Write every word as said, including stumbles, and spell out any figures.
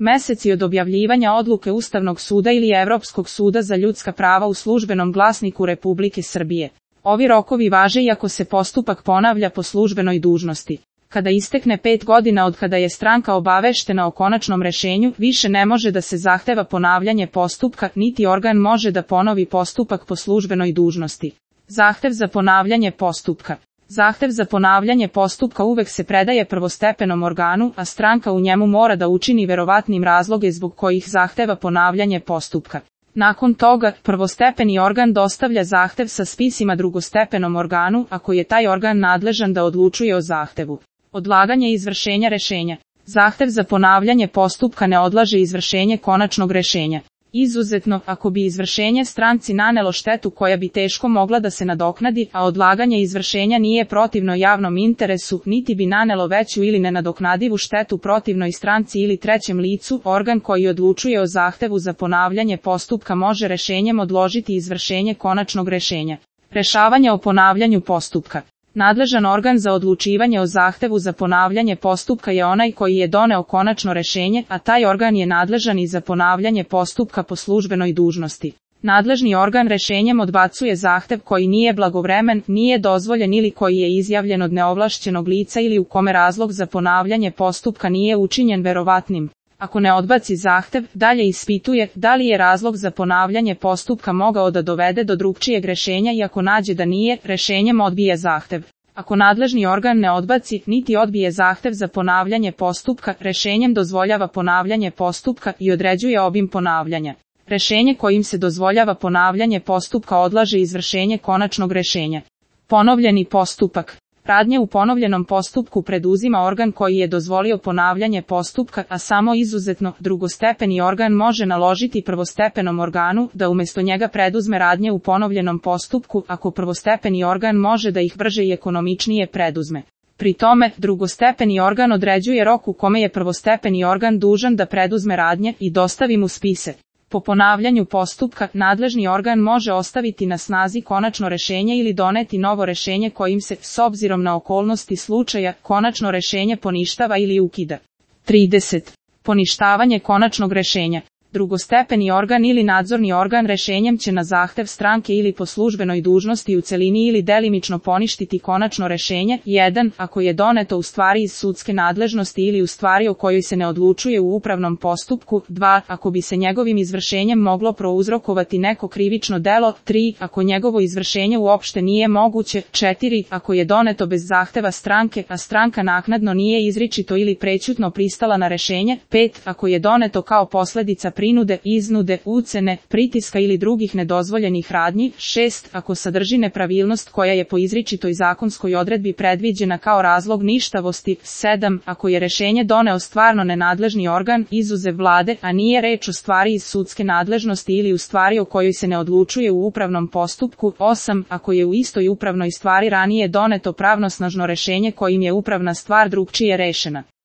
meseci od objavljivanja odluke Ustavnog suda ili Evropskog suda za ljudska prava u Službenom glasniku Republike Srbije. Ovi rokovi važe i ako se postupak ponavlja po službenoj dužnosti. Kada istekne pet godina od kada je stranka obaveštena o konačnom rešenju, više ne može da se zahteva ponavljanje postupka, niti organ može da ponovi postupak po službenoj dužnosti. Zahtev za ponavljanje postupka. Zahtev za ponavljanje postupka uvek se predaje prvostepenom organu, a stranka u njemu mora da učini verovatnim razloge zbog kojih zahteva ponavljanje postupka. Nakon toga, prvostepeni organ dostavlja zahtev sa spisima drugostepenom organu, ako je taj organ nadležan da odlučuje o zahtevu. Odlaganje izvršenja rešenja. Zahtev za ponavljanje postupka ne odlaže izvršenje konačnog rešenja. Izuzetno, ako bi izvršenje stranci nanelo štetu koja bi teško mogla da se nadoknadi, a odlaganje izvršenja nije protivno javnom interesu, niti bi nanelo veću ili nenadoknadivu štetu protivnoj stranci ili trećem licu, organ koji odlučuje o zahtevu za ponavljanje postupka može rešenjem odložiti izvršenje konačnog rešenja. Rešavanje o ponavljanju postupka. Nadležan organ za odlučivanje o zahtevu za ponavljanje postupka je onaj koji je doneo konačno rešenje, a taj organ je nadležan i za ponavljanje postupka po službenoj dužnosti. Nadležni organ rešenjem odbacuje zahtev koji nije blagovremen, nije dozvoljen ili koji je izjavljen od neovlašćenog lica ili u kome razlog za ponavljanje postupka nije učinjen verovatnim. Ako ne odbaci zahtev, dalje ispituje da li je razlog za ponavljanje postupka mogao da dovede do drugčijeg rešenja i ako nađe da nije, rešenjem odbija zahtev. Ako nadležni organ ne odbaci, niti odbije zahtev za ponavljanje postupka, rešenjem dozvoljava ponavljanje postupka i određuje obim ponavljanja. Rešenje kojim se dozvoljava ponavljanje postupka odlaže izvršenje konačnog rešenja. Ponovljeni postupak. Radnje u ponovljenom postupku preduzima organ koji je dozvolio ponavljanje postupka, a samo izuzetno, drugostepeni organ može naložiti prvostepenom organu da umjesto njega preduzme radnje u ponovljenom postupku, ako prvostepeni organ može da ih brže i ekonomičnije preduzme. Pri tome, drugostepeni organ određuje rok u kome je prvostepeni organ dužan da preduzme radnje i dostavi mu spise. Po ponavljanju postupka, nadležni organ može ostaviti na snazi konačno rešenje ili doneti novo rešenje kojim se, s obzirom na okolnosti slučaja, konačno rešenje poništava ili ukida. trideset. Poništavanje konačnog rešenja. Drugostepeni organ ili nadzorni organ rešenjem će na zahtev stranke ili po službenoj dužnosti u celini ili delimično poništiti konačno rešenje. jedan. Ako je doneto u stvari iz sudske nadležnosti ili u stvari o kojoj se ne odlučuje u upravnom postupku. dva. Ako bi se njegovim izvršenjem moglo prouzrokovati neko krivično delo. tri. Ako njegovo izvršenje uopšte nije moguće. četiri. Ako je doneto bez zahteva stranke, a stranka naknadno nije izričito ili prećutno pristala na rešenje. pet. Ako je doneto kao posledica prinude, iznude, ucene, pritiska ili drugih nedozvoljenih radnji. šest. Ako sadrži nepravilnost koja je po izričitoj zakonskoj odredbi predviđena kao razlog ništavosti. sedam. Ako je rešenje doneo stvarno nenadležni organ, izuzev vlade, a nije reč o stvari iz sudske nadležnosti ili u stvari o kojoj se ne odlučuje u upravnom postupku. osam. Ako je u istoj upravnoj stvari ranije doneto pravnosnažno rešenje kojim je upravna stvar drugčije rešena.